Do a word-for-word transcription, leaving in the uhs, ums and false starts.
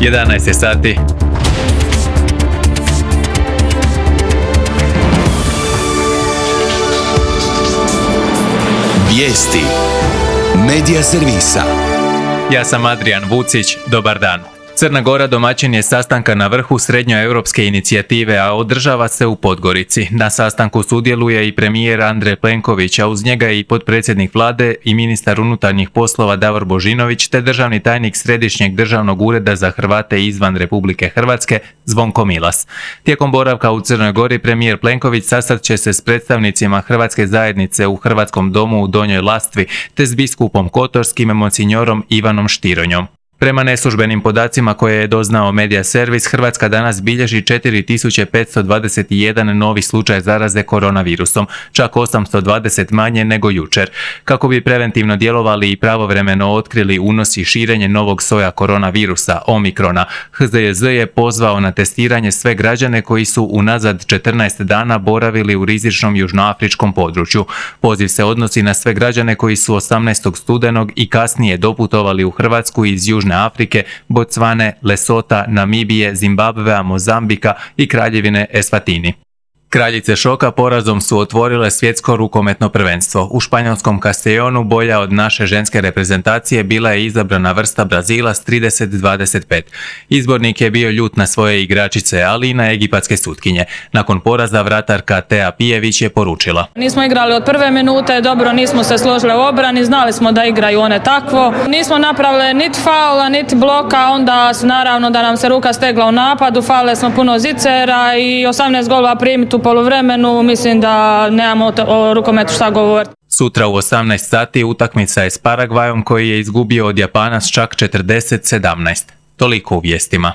jedanaest je sati. Vijesti Medija servisa. Ja sam Adrian Vucić, dobar dan. Crna Gora domaćin je sastanka na vrhu srednjoeuropske inicijative, a održava se u Podgorici. Na sastanku sudjeluje i premijer Andrej Plenković, a uz njega i potpredsjednik vlade i ministar unutarnjih poslova Davor Božinović, te državni tajnik Središnjeg državnog ureda za Hrvate izvan Republike Hrvatske Zvonko Milas. Tijekom boravka u Crnoj Gori premijer Plenković sastat će se s predstavnicima hrvatske zajednice u Hrvatskom domu u Donjoj Lastvi, te s biskupom Kotorskim monsignorom Ivanom Štironjom. Prema neslužbenim podacima koje je doznao Medija servis, Hrvatska danas bilježi četiri tisuće petsto dvadeset jedan novi slučaj zaraze koronavirusom, čak osamsto dvadeset manje nego jučer. Kako bi preventivno djelovali i pravovremeno otkrili unos i širenje novog soja koronavirusa, Omikrona, H Z J Z je pozvao na testiranje sve građane koji su unazad četrnaest dana boravili u rizičnom južnoafričkom području. Poziv se odnosi na sve građane koji su osamnaestog studenog i kasnije doputovali u Hrvatsku iz Južne Afrike, Bocvane, Lesota, Namibije, Zimbabvea, Mozambika i Kraljevine Eswatini. Kraljice šoka porazom su otvorile svjetsko rukometno prvenstvo. U španjolskom Castellonu bolja od naše ženske reprezentacije bila je izabrana vrsta Brazila s trideset dvadeset pet. Izbornik je bio ljut na svoje igračice, ali i na egipatske sutkinje. Nakon poraza vratarka Tea Pijević je poručila: Nismo igrali od prve minute, dobro, nismo se složili u obrani, znali smo da igraju one takvo. Nismo napravili niti faula, niti bloka, onda naravno da nam se ruka stegla u napadu, falili smo puno zicera i osamnaest golova primiti u poluvremenu, mislim da nemamo o rukometu šta govoriti. Sutra u osamnaest sati utakmica je s Paragvajom koji je izgubio od Japana s čak četrdeset sedamnaest. Toliko u vijestima.